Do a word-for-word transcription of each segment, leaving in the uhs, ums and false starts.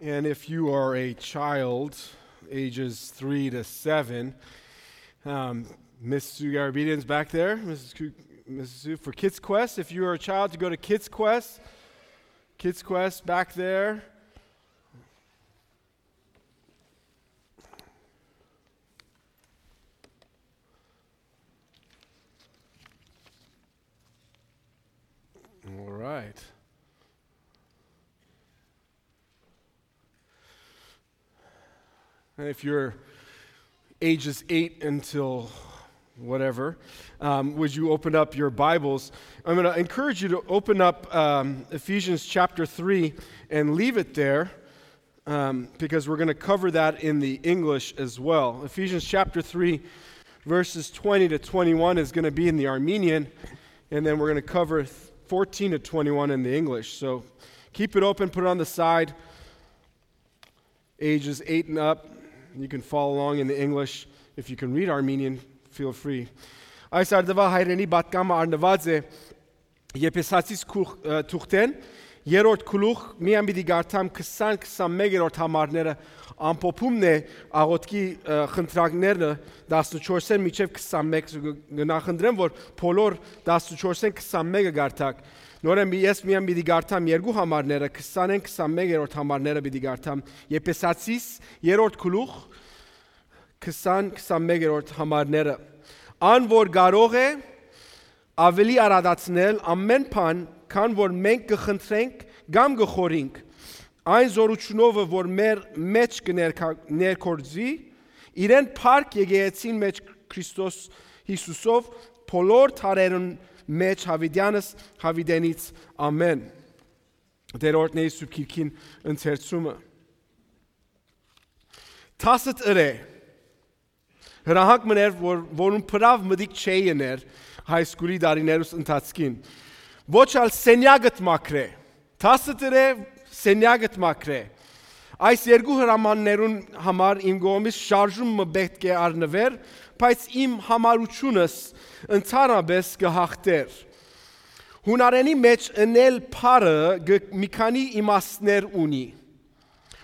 And if you are a child, ages three to seven, um, Miss Sue Garabedian's back there. Missus Ku- Missus Sue, for Kids Quest. If you are a child, to go to Kids Quest. Kids Quest back there. All right. And if you're ages eight until whatever, um, would you open up your Bibles? I'm going to encourage you to open up um, Ephesians chapter three and leave it there, um, because we're going to cover that in the English as well. Ephesians chapter three, verses twenty to twenty-one is going to be in the Armenian, and then we're going to cover th- fourteen to twenty-one in the English. So keep it open, put it on the side. Ages eight and up. You can follow along in the English. If you can read Armenian, feel free. Այս արդուայ հայրենի պատգամը առնուած է Եփեսացիս գլուխ, ը, թուղթէն, երրորդ գլուխ, միայն պիտի կարդամ քսան, քսանմեկ երրորդ համարները, ամփոփումն է աղօթքի, ը, խնդրանքները, տասնչորսէն մինչեւ քսանմեկ, գ-, գ-, նախընտրեմ, որ բոլոր տասնչորսէն քսանմեկը կարդաք։ Նորեն մի-, ես միայն պիտի կարդամ երկու համարները, քսանէն քսանմեկ երրորդ համարները պիտի կարդամ։ Եփեսացիս, երրորդ գլուխ, քսան, քսանմեկ երրորդ համարները։ Ան որ կարող է ավելի արադացնել ամեն բան, քան որ մենք կը խնդրենք կամ կը խորհինք, այն զօրութիւնովը որ մեր մէջ կը ներկա-, ներգործի, իրեն փառք եկեղեցին մէջ Քրիստոս Յիսուսով, բոլոր դարերուն մէջ Յաւիտեանս Յաւիտենից։ Ամէն։ Տեր օրհնէ Սուրբ Գիրքին ընթերցումը։ Դասը տիրէ։ Հրահանգ մըն էր, որ, որուն բրաւ մտիկ չէի ըներ high school-ի տարիներուս ընթացքին։ Ոչ ալ սենյակդ մաքրէ։ Դասը տիրէ, սենյակդ մաքրէ։ Այս երկու հրամաններուն համար իմ կողմից շարժում մը պէտք է առնուէր, բայց իմ համարութիւնս ընդհանրապէս կը յաղթէր։ Յունարէնի մէջ ընել բառը գ-, մի քանի իմաստներ ունի։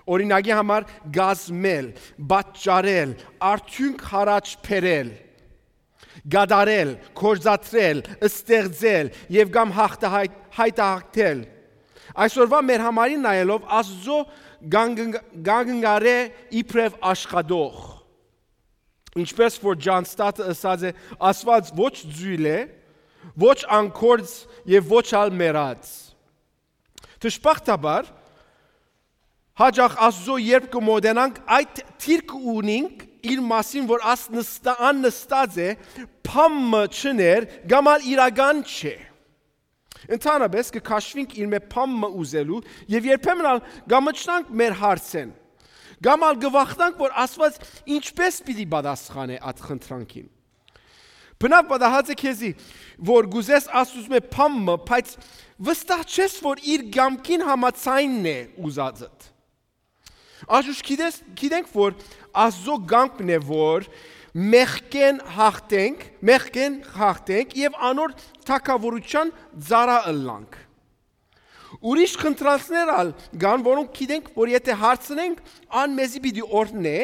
Օրինակի համար, կազմել, պատճառել, արդիւնք յառաջ բերել, կատարել, գործադրել, ստեղծել եւ կամ հաղթահայ-, հայտահաղթել։ Այսօրվա մեր համարին նայելով, Աստուծոյ կանգ-, կանգնարէ իբրեւ աշխատող։ Ինչպես որ Ջան Սթաթը ըսած է, Աստուած ոչ ձոյլ է, ոչ անգործ եւ ոչ ալ մեռած։ Դժբախտաբար, հաճախ Աստուծոյ երբ կը մոտենանք, այդ դիրքը ունինք իր մասին, որ աս նստա-, ան նստած է, բան մը չներ, կամ ալ իրական չէ։ Ընդհանրապէս կը քաշուինք իր մէ բան մը ուզելու եւ երբեմն ալ կամչնանք մեր հարցէն, կամ ալ կը վախնանք, որ Աստուած ինչպես պիտի պատասխանէ այդ խնդրանքին։ Բնաւ պատահած է քեզի, որ կ'ուզես Աստուծմէ բան մը, բայց վստահ չես, որ իր կամքին համաձայնն է ուզածդ։ Աշուշ գիտես, գիտենք, որ Աստուծոյ կամքն է, որ մեղքէն հաղթենք, մեղքէն հաղթենք եւ անոր թագաւորութեան ծառայ ըլլանք։ Ուրիշ խնդրանքներ ալ կան, որոնք գիտենք, որ եթե հարցնենք, ան մեզի պիտի օրհնէ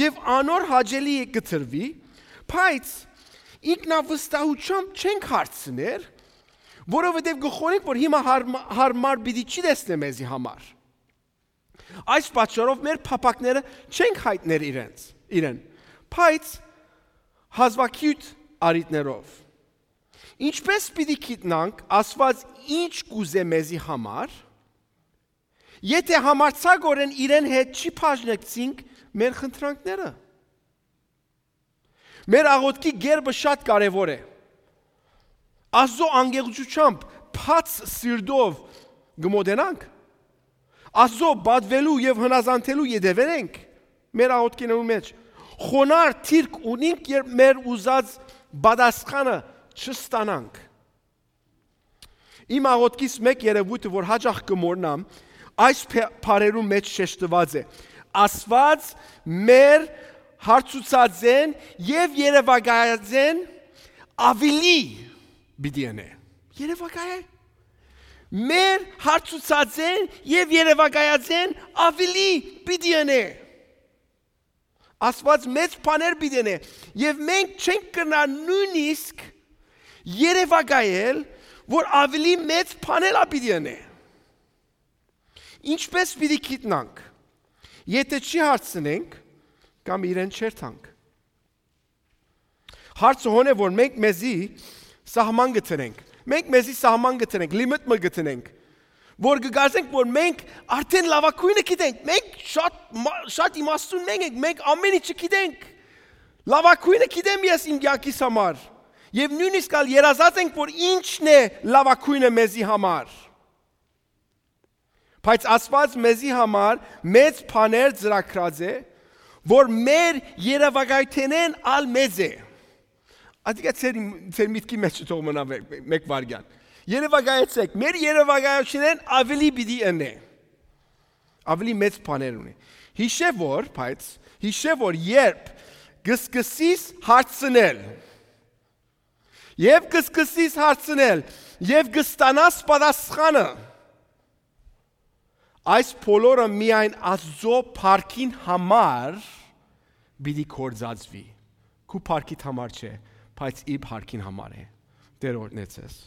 եւ անոր հաճելի կը տրուի, բայց ինքնավստահութեամբ չենք հարցներ, որովհետեւ կը խորհենք, որ հիմա հարմ-, հարմար պիտի չի տեսնէ մեզի համար։ Այս պատճառով մեր փափաքները չենք յայտներ իրենց, իրեն, բայց հազվագիւտ առիթներով։ Ինչպե՞ս պիտի գիտնանք Աստուած ինչ կ'ուզէ մեզի համար, եթե համարձակօրէն իրեն հետ չի բաժնեկցինք մեր խնդրանքները։ Մեր աղօթքի կերպը շատ կարեւոր է։ Աստուծոյ անկեղծութեամբ, բաց սիրտով կը մոտենանք։ Աստուծոյ պատուելու եւ հնազանդելու ետեւեր ենք մեր աղօթքիներուն մէջ։ Խոնար դիրք ունինք, երբ մեր ուզած պատասխանը չստանանք։ Իմ աղօթքիս մէկ երեւոյթը, որ յաճախ կը մոռնամ, այս փե-, բառերուն մէջ շեշտուած է. Աստուած մեր հարցուցածէն եւ երեւակայածէն աւելի պիտի ընէ։ Երեւակայ է։ մեր հարցուցածէն եւ երեւակայածէն աւելի պիտի ընէ։ Աստուած մեծ բաներ պիտի ընէ եւ մենք չենք կրնար նոյնիսկ երեւակայել, որ աւելի մեծ բաներ ալ պիտի ընէ։ Ինչպէս պիտի գիտնանք, եթէ չի հարցնենք կամ իրեն չերթանք։ Հարցը հոն է, որ մենք մեզի սահման կը դնենք։ Մենք մեզի սահման կը դնենք, limit մը կը դնենք, որ կը կարծենք, որ մենք արդեն լաւագոյնը գիտենք, մենք շատ մա-, շատ իմաստուն մենք ենք, մենք ամեն ինչը գիտենք։ Լաւագոյնը գիտեմ ես իմ կեանքիս համար։ Եւ նոյնիսկ ալ երազած ենք, որ ինչն է լաւագոյնը մեզի համար։ Բայց Աստուած մեզի համար մեծ բաներ ծրագրած է, որ մեր երեւակայութենէն ալ մեծ է։ Ատիկա ձեր, ձեր միտքի մեջ թող մնայ մէ-, մէ-, մէկ վայրկեան։ Երեւակայեցէք, մեր երեւակայութենէն աւելի պիտի ընէ։ Աւելի մեծ բաներ ունի։ Յիշե որ, բայց, յիշե որ երբ կը սկսես հարցնել, եւ կը սկսես հարցնել, եւ կը ստանաս պատասխանը, այս բոլորը միայն Աստուծոյ փառքին համար պիտի գործածուի։ Քու փառքիդ համար չէ, բայց իր փառքին համար է։ Տէր օրհնեցես։